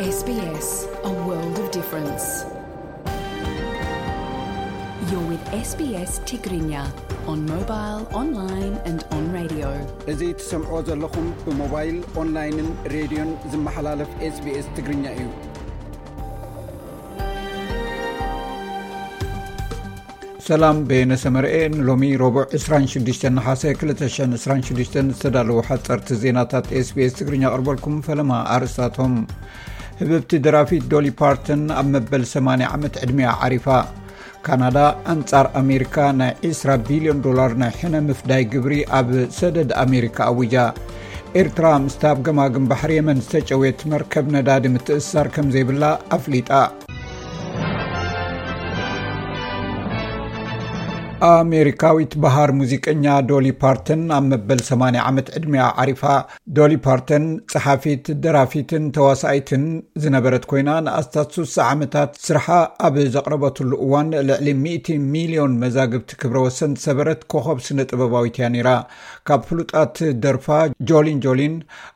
S B S, a world of difference. You're with S B S Tigrinya on mobile, online and on radio. እዚ ትሰምዕዎ ዘለኹም ብሞባይል፣ ኦንላይንን ሬድዮን ዝመሓላለፍ S B S ትግርኛ እዩ። ሰላም፣ በየነ ሰመርኤ። ንሎሚ ረቡዕ ዕስራን ሽዱሽተን ነሓሰ ክልተ ሽሕን ዕስራን ሽዱሽተን ዝተዳለዉ ሓጸርቲ ዜናታት S B S ትግርኛ ኣቕርበልኩም። ፈለማ ኣርእስታቶም። ህብብቲ ደራፊት ዶሊ ፓርተን ኣብ መበል ሰማንያ ዓመት ዕድሚኣ ዓሪፋ። ካናዳ ኣንጻር ኣሜሪካ ናይ ዕስራ ቢልዮን ዶላር ናይ ሕነ ምፍዳይ ግብሪ ኣብ ሰደድ ኣሜሪካ ኣዊጃ። ኤርትራ ምስታ ኣብ ገማግም ባሕሪ የመን ዝተጨውየት መርከብ ነዳዲ ምትእስሳር ከም ዘይብላ ኣፍሊጣ። ኣሜሪካዊት በሃር ሙዚቀኛ ዶሊ ፓርተን ኣብ መበል ሰማንያ ዓመት ዕድሚኣ ዓሪፋ። ዶሊ ፓርተን ጸሓፊት፣ ደራፊትን ተዋሳኢትን ዝነበረት ኮይና፣ ንኣስታት ስሳ ዓመታት ስርሓ ኣብ ዘቕረበትሉ እዋን ልዕሊ ሚእቲ ሚልዮን መዛግብቲ ክብረ ወሰን ዝሰበረት ኮኸብ ስነ ጥበባዊት እያ ነይራ። ካብ ፍሉጣት ደርፋ ጆሊን ጆሊን፣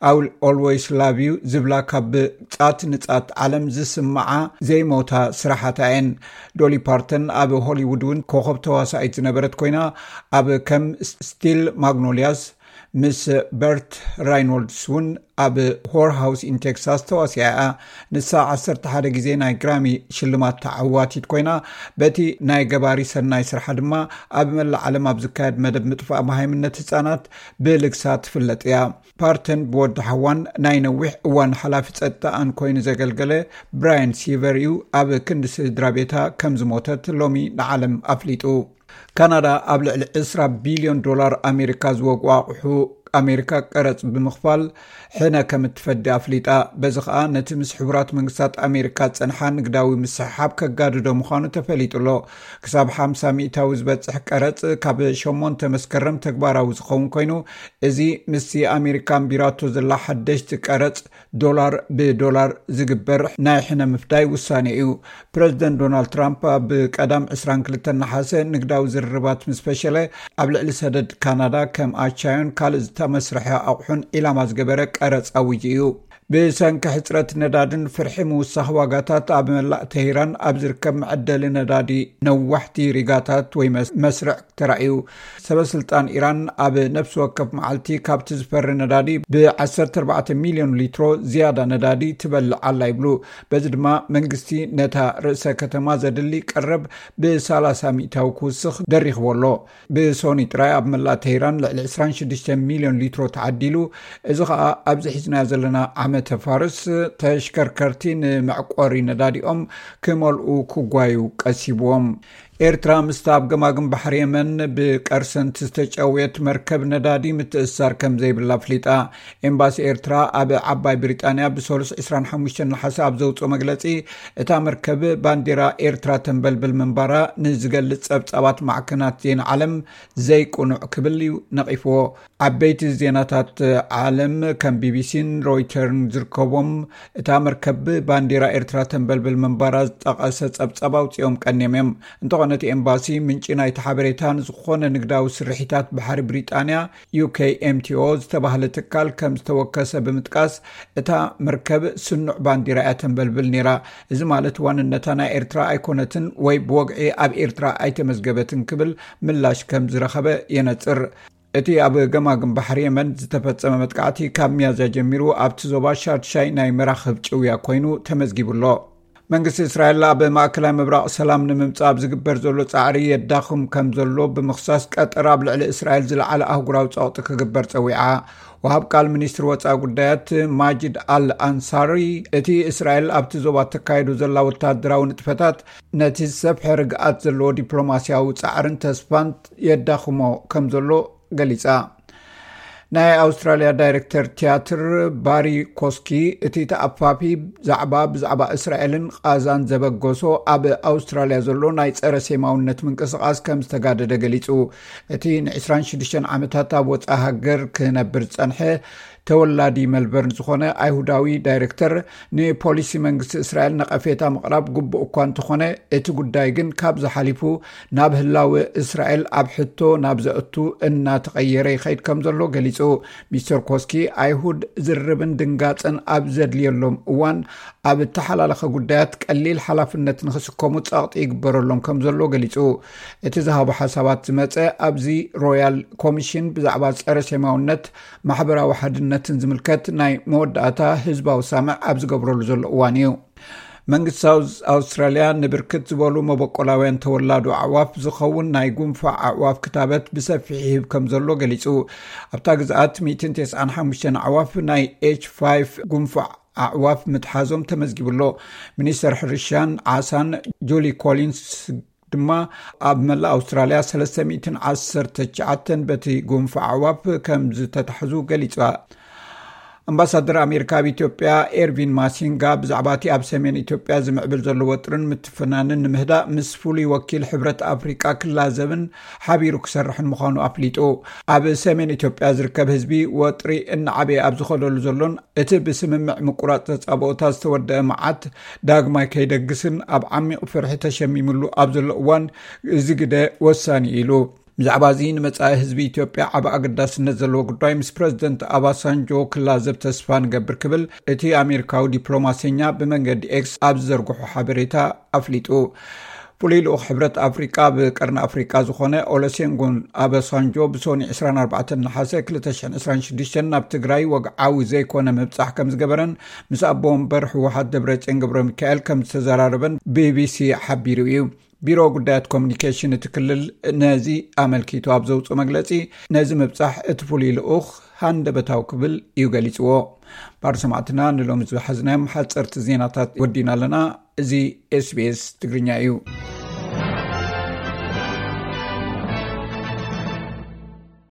I Will Always Love You ዝብላ ካብ ጻት ንጻት ዓለም ዝስምዓ ዘይሞታ ስራሓታ እየን። ዶሊ ፓርተን ኣብ ሆሊውድ እውን ኮኸብ ተዋሳኢት ዝነበረት ኮይና፣ ኣብ ከም ስቲል ማግኖሊያስ ምስ በርት ራይኖልድስ እውን ኣብ ሆር ሃውስ ኢን ቴክሳስ ተዋሲኣ እያ። ንሳ ዓሰርተ ሓደ ግዜ ናይ ግራሚ ሽልማት ተዓዋቲት ኮይና፣ በቲ ናይ ገባሪ ሰናይ ስርሓ ድማ ኣብ መላእ ዓለም ኣብ ዝካየድ መደብ ምጥፋእ መሃይምነት ህጻናት ብልግሳ ትፍለጥ እያ። ፓርተን ብወዲ ሓዋን ናይ ነዊሕ እዋን ሓላፊ ጸጥታኣን ኮይኑ ዘገልገለ ብራያን ሲቨር እዩ ኣብ ክንዲ ስድራ ቤታ ከም ዝሞተት ሎሚ ንዓለም ኣፍሊጡ። ካናዳ ኣብ ልዕሊ ዕስራ ቢልዮን ዶላር ኣሜሪካ ዝወግኡ ኣቑሑ ኣሜሪካ ቀረጽ ብምኽፋል ሕነ ከም እትፈዲ ኣፍሊጣ። በዚ ኸኣ ነቲ ምስ ሕቡራት መንግስታት ኣሜሪካ ዝጸንሓ ንግዳዊ ምስሕሓብ ከጋድዶ ምዃኑ ተፈሊጡ ኣሎ። ክሳብ ሓምሳ ሚእታዊ ዝበጽሕ ቀረጽ ካብ ሸሞንተ መስከረም ተግባራዊ ዝኸውን ኮይኑ፣ እዚ ምስቲ ኣሜሪካ ኣንቢራቶ ዘላ ሓደሽቲ ቀረጽ ዶላር ብዶላር ዝግበር ናይ ሕነ ምፍዳይ ውሳኔ እዩ። ፕረዚደንት ዶናልድ ትራምፕ ኣብ ቀዳም ዕስራን ክልተን ነሓሰ ንግዳዊ ዝርርባት ምስ ፈሸለ፣ ኣብ ልዕሊ ሰደድ ካናዳ ከም ኣቻዮን ካልእ ዝተመስርሐ ኣቑሑን ዒላማ ዝገበረ ቀረጽ ኣዊጁ እዩ። ብሰንኪ ሕጽረት ነዳድን ፍርሒ ምውሳኽ ዋጋታት፣ ኣብ መላእ ተሂራን ኣብ ዝርከብ መዐደሊ ነዳዲ ነዋሕቲ ሪጋታት ወይ መስ-፣ መስርዕ ተራእዩ። ሰበ ስልጣን ኢራን ኣብ ነፍሲ ወከፍ መዓልቲ ካብቲ ዝፈሪ ነዳዲ ብ ዓሰርተ ኣርባዕተ ሚልዮን ሊትሮ ዝያዳ ነዳዲ ትበልዕ ኣላ ይብሉ። በዚ ድማ መንግስቲ ነታ ርእሰ ከተማ ዘድሊ ቀረብ ብ ሰላሳ ሚእታዊ ክውስኽ ደሪኽዎ ኣሎ። ብሶኒ ጥራይ ኣብ መላእ ተሂራን ልዕሊ ዕስራን ሽዱሽተ ሚልዮን ሊትሮ ተዓዲሉ። እዚ ኸኣ ኣብዚ ሒዝናዮ ዘለና ዓመተ ፋርስ ተሽከርከርቲ ንመዕቆሪ ነዳዲኦም ክመልኡ ክጓዩ ቀሲብዎም። ኤርትራ ምስታ ኣብ ገማግም ባሕሪ የመን ብቀርሰንት ዝተጨውየት መርከብ ነዳዲ ምትእስሳር ከም ዘይብላ ኣፍሊጣ። ኤምባሲ ኤርትራ ኣብ ዓባይ ብሪጣንያ ብሰሉስ ዕስራን ሓሙሽተን ነሓሰ ኣብ ዘውጽኦ መግለጺ፣ እታ መርከብ ባንዴራ ኤርትራ ተንበልብል ምንባራ ንዝገልጽ ጸብጻባት ማዕከናት ዜና ዓለም ዘይቅኑዕ ክብል እዩ ነቒፍዎ። ዓበይቲ ዜናታት ዓለም ከም ቢቢሲን ሮይተርን ዝርከቦም፣ እታ መርከብ ባንዴራ ኤርትራ ተንበልብል ምንባራ ዝጠቐሰ ጸብጻብ ኣውጺኦም ቀንዮም እዮም። እንተኾነ እቲ ኤምባሲ ምንጪ ናይቲ ሓበሬታ ንዝኾነ ንግዳዊ ስርሒታት ባሕሪ ብሪጣንያ፣ ዩ ኬ ኤም ቲ ኦ ዝተባህለ ትካል ከም ዝተወከሰ ብምጥቃስ፣ እታ መርከብ ስኑዕ ባንዲራ እያ ተንበልብል ነይራ። እዚ ማለት ዋንነታ ናይ ኤርትራ ኣይኮነትን ወይ ብወግዒ ኣብ ኤርትራ ኣይተመዝገበትን ክብል ምላሽ ከም ዝረኸበ የነጽር። እቲ ኣብ ገማግም ባሕሪ የመን ዝተፈጸመ መጥቃዕቲ ካብ ሚያዝያ ጀሚሩ ኣብቲ ዞባ ሻድሻይ ናይ መራኽብ ጭውያ ኮይኑ ተመዝጊቡ ኣሎ። መንግስቲ እስራኤል ኣብ ማእከላይ ምብራቕ ሰላም ንምምጻእ ኣብ ዝግበር ዘሎ ጻዕሪ የዳኽም ከም ዘሎ ብምኽሳስ፣ ቀጠር ኣብ ልዕሊ እስራኤል ዝለዓለ ኣህጉራዊ ጸቕጢ ክግበር ጸዊዓ። ወሃብ ቃል ሚኒስትሪ ወጻኢ ጉዳያት ማጂድ ኣል ኣንሳሪ፣ እቲ እስራኤል ኣብቲ ዞባ ተካይዶ ዘላ ወታደራዊ ንጥፈታት ነቲ ዝሰፍሐ ርግኣት ዘለዎ ዲፕሎማስያዊ ጻዕርን ተስፋን የዳኽሞ ከም ዘሎ ገሊጻ። ናይ ኣውስትራልያ ዳይሬክተር ቲያትር ባሪ ኮስኪ፣ እቲ ተኣፋፊ ዛዕባ ብዛዕባ እስራኤልን ቓዛን ዘበገሶ ኣብ ኣውስትራልያ ዘሎ ናይ ጸረ ሴማውነት ምንቅስቓስ ከም ዝተጋደደ ገሊጹ። እቲ ን ዕስራን ሽዱሽተን ዓመታት ኣብ ወጻኢ ሃገር ክነብር ዝጸንሐ ተወላዲ መልበርን ዝኾነ ኣይሁዳዊ ዳይሬክተር፣ ንፖሊሲ መንግስቲ እስራኤል ነቐፌታ ምቕራብ ግቡእ እኳ እንተኾነ፣ እቲ ጉዳይ ግን ካብዚ ሓሊፉ ናብ ህላወ እስራኤል ኣብ ሕቶ ናብ ዘእቱ እናተቐየረ ይኸይድ ከም ዘሎ ገሊጹ። ሚስተር ኮስኪ፣ ኣይሁድ ዝርርብን ድንጋጽን ኣብ ዘድልየሎም እዋን ኣብ እተሓላለኸ ጉዳያት ቀሊል ሓላፍነት ንኽስከሙ ጸቕጢ ይግበረሎም ከም ዘሎ ገሊጹ። እቲ ዝሃቦ ሓሳባት ዝመጸ ኣብዚ ሮያል ኮሚሽን ብዛዕባ ጸረ ሴማውነት፣ ማሕበራዊ ሓድነትን ዝምልከት ናይ መወዳእታ ህዝባዊ ሳምዕ ኣብ ዝገብረሉ ዘሎ እዋን እዩ። መንግስቲ ሳውዝ ኣውስትራልያ ንብርክት ዝበሉ መበቆላውያን ተወላዶ ኣዕዋፍ ዝኸውን ናይ ጉንፋዕ ኣዕዋፍ ክታበት ብሰፊሕ ይህብ ከም ዘሎ ገሊጹ። ኣብታ ግዝኣት ሚእትን ተስዓን ሓሙሽተን ኣዕዋፍ ናይ ኤች ፋይቭ ጉንፋዕ ኣዕዋፍ ምትሓዞም ተመዝጊቡ ኣሎ። ሚኒስተር ሕርሻን ዓሳን ጁሊ ኮሊንስ ድማ ኣብ መላእ ኣውስትራልያ ሰለስተ ሚእትን ዓሰርተ ትሽዓተን በቲ ጉንፋዕ ኣዕዋፍ ከም ዝተታሕዙ ገሊጻ። ኣምባሳደር ኣሜሪካ ኣብ ኢትዮጵያ ኤርቪን ማሲንጋ ብዛዕባ እቲ ኣብ ሰሜን ኢትዮጵያ ዝምዕብል ዘሎ ወጥርን ምትፍናንን ንምህዳእ ምስ ፍሉይ ወኪል ሕብረት ኣፍሪቃ ክላዘብን ሓቢሩ ክሰርሕን ምዃኑ ኣፍሊጡ። ኣብ ሰሜን ኢትዮጵያ ዝርከብ ህዝቢ ወጥሪ እናዓበየ ኣብ ዝኸደሉ ዘሎን እቲ ብስምምዕ ምቁራጽ ተጻብኦታት ዝተወደአ መዓት ዳግማይ ከይደግስን ኣብ ዓሚቕ ፍርሒ ተሸሚምሉ ኣብ ዘሎ እዋን፣ እዚ ግደ ወሳኒ ኢሉ። ብዛዕባ እዚ ንመጻኢ ህዝቢ ኢትዮጵያ ዓቢ ኣገዳስነት ዘለዎ ጉዳይ ምስ ፕረዚደንት ኣባሳንጆ ክላዘብ ተስፋ ንገብር ክብል እቲ ኣሜሪካዊ ዲፕሎማሰኛ ብመንገዲ ኤክስ ኣብ ዝዘርግሖ ሓበሬታ ኣፍሊጡ። ፍሉይ ልኡኽ ሕብረት ኣፍሪቃ ኣብ ቀርኒ ኣፍሪቃ ዝኾነ ኦለሴንጎን ኣባሳንጆ ብሶኒ ዕስራን ኣርባዕተን ነሓሰ ክልተ ሽሕን ዕስራን ሽዱሽተን ናብ ትግራይ ወግዓዊ ዘይኮነ ምብጻሕ ከም ዝገበረን ምስ ኣቦ ወንበር ህወሓት ደብረጽዮን ገብረ ሚካኤል ከም ዝተዘራረበን ቢቢሲ ሓቢሩ እዩ። ቢሮ ጉዳያት ኮሚኒኬሽን እቲ ክልል ነዚ ኣመልኪቱ ኣብ ዘውፅኦ መግለፂ፣ ነዚ ምብፃሕ እቲ ፍሉይ ልኡኽ ሃንደበታዊ ክብል እዩ ገሊፅዎ። ባር ሰማዕትና፣ ንሎሚ ዝሓዝናዮም ሓፀርቲ ዜናታት ወዲና ኣለና። እዚ ኤስቢኤስ ትግርኛ እዩ።